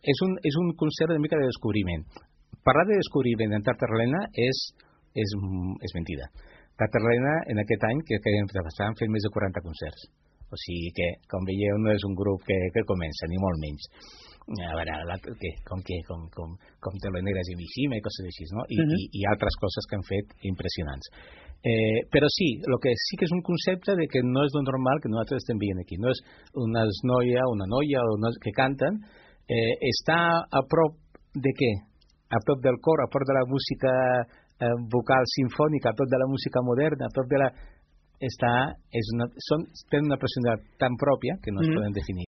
és un concert una mica de descobriment. Parlar de descobriment en Tartarlena és mentida. Tartarlena, en aquest any, que estàvem fent més de 40 concerts. O sigui que, com veieu, no és un grup que comença, ni molt menys. A veure, com Telonegres i Mishima i coses així, no? I altres coses que han fet impressionants. Però sí, el que sí que és un concepte de que no és lo normal que nosaltres estem veient aquí. No és una noia que canten, està a prop de què? A prop del cor, a prop de la música vocal sinfònica, a prop de la música moderna, a prop de la... tenen una personalitat tan pròpia que no es poden definir.